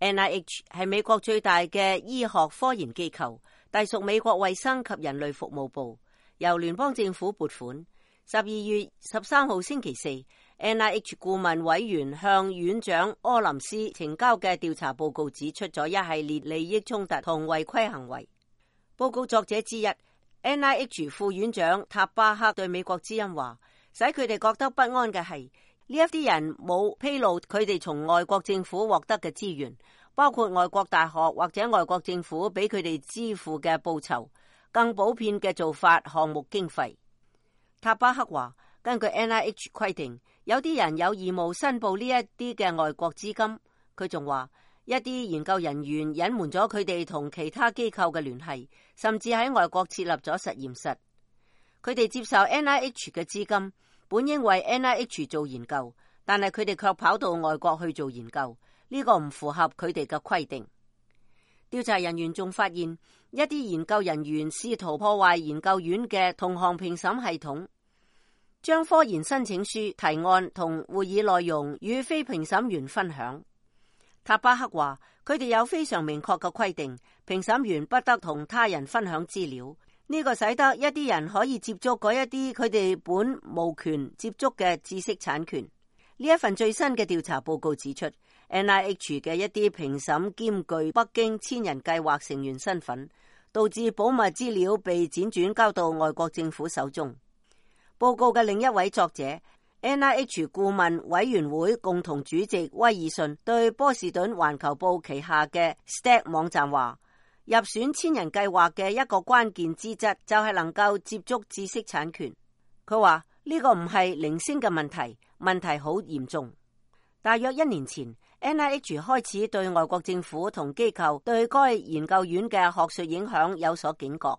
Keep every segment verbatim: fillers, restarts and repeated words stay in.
N I H 係美國最大嘅醫學科研機構，隸屬美國衛生及人類服務部，由聯邦政府撥款。十二月十三號星期四， N I H 顧問委員向院長柯林斯呈交嘅調查報告指出咗一系列利益衝突同違規行為。報告作者之一 N I H 副院長塔巴克對美國之音話，使佢哋覺得不安嘅係呢一啲人冇披露佢哋從外國政府獲得嘅資源，包括外國大學或者外國政府俾佢哋支付嘅報酬、更普遍嘅做法、項目經費。塔巴克話，根據 N I H 規定，有啲人有義務申報呢一啲嘅外國資金。佢仲話，一啲研究人員隱瞞咗佢哋同其他機構嘅聯繫，甚至喺外國設立咗實驗室。佢哋接受 N I H 嘅資金，本應為 N I H 做研究，但係佢哋卻跑到外國去做研究，呢個唔符合佢哋嘅規定。調查人員仲發現，一啲研究人員試圖破壞研究院嘅同行評審系統，將科研申請書、提案同會議內容與非評審員分享。塔巴克話，佢哋有非常明確嘅規定，評審員不得同他人分享資料，呢個使得一啲人可以接觸嗰一啲佢哋本無權接觸嘅知識產權。呢一份最新嘅調查報告指出，N I H 嘅一啲評審兼具北京千人計劃成員身份，導致保密資料被輾轉交到外國政府手中。報告嘅另一位作者 N I H 顧問委員會共同主席威爾遜對波士頓環球報旗下嘅 S T A C 網站話，入選千人計劃嘅一個關鍵資質就係能夠接觸知識產權。佢話呢個唔係零星嘅問題，問題好嚴重。大約一年前， N I H 開始對外國政府同機構對該研究院嘅學術影響有所警覺。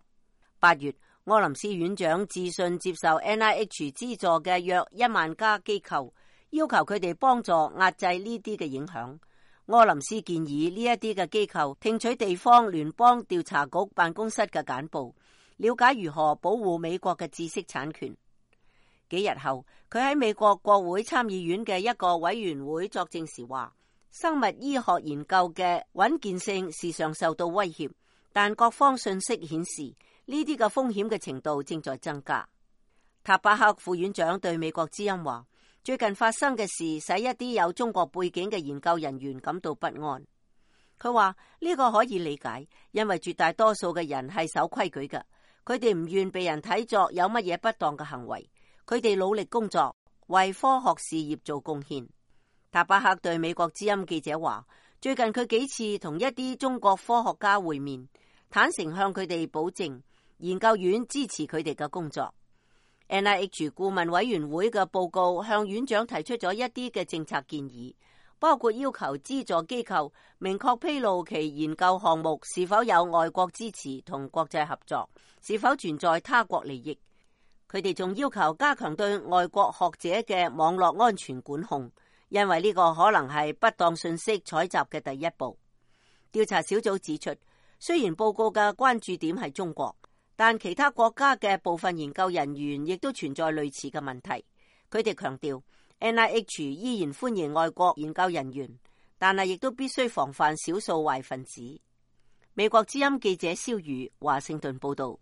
八月，柯林斯院長致信接受 N I H 資助嘅約一萬家機構，要求佢哋幫助壓制呢啲嘅影響。柯林斯建議呢一啲嘅機構聽取地方聯邦調查局辦公室嘅簡報，了解如何保護美國嘅知識產權。幾日後，佢喺美國國會參議院嘅一個委員會作證時話，生物醫學研究嘅穩健性時常受到威脅，但各方信息顯示呢啲嘅風險嘅程度正在增加。塔巴克副院長對美國之音話，最近發生嘅事使一啲有中國背景嘅研究人員感到不安。佢話呢個可以理解，因為絕大多數嘅人係守規矩嘅，佢哋唔願被人睇作有乜嘢不當嘅行為。佢哋努力工作，為科學事業做貢獻。塔巴克對美國之音記者話，最近佢幾次同一啲中國科學家會面，坦誠向佢哋保證研究院支持佢哋嘅工作。N I H 顧問委員會嘅報告向院長提出咗一啲嘅政策建議，包括要求資助機構明確披露其研究項目是否有外國支持同國際合作，是否存在他國利益。佢哋仲要求加強對外國學者嘅網絡安全管控，因為呢個可能係不當信息採集嘅第一步。調查小組指出，雖然報告嘅關注點係中國，但其他國家嘅部分研究人員亦都存在類似嘅問題。佢哋強調 N I H 依然歡迎外國研究人員，但係亦都必須防範少數壞分子。美國之音記者蕭瑜華盛頓報道。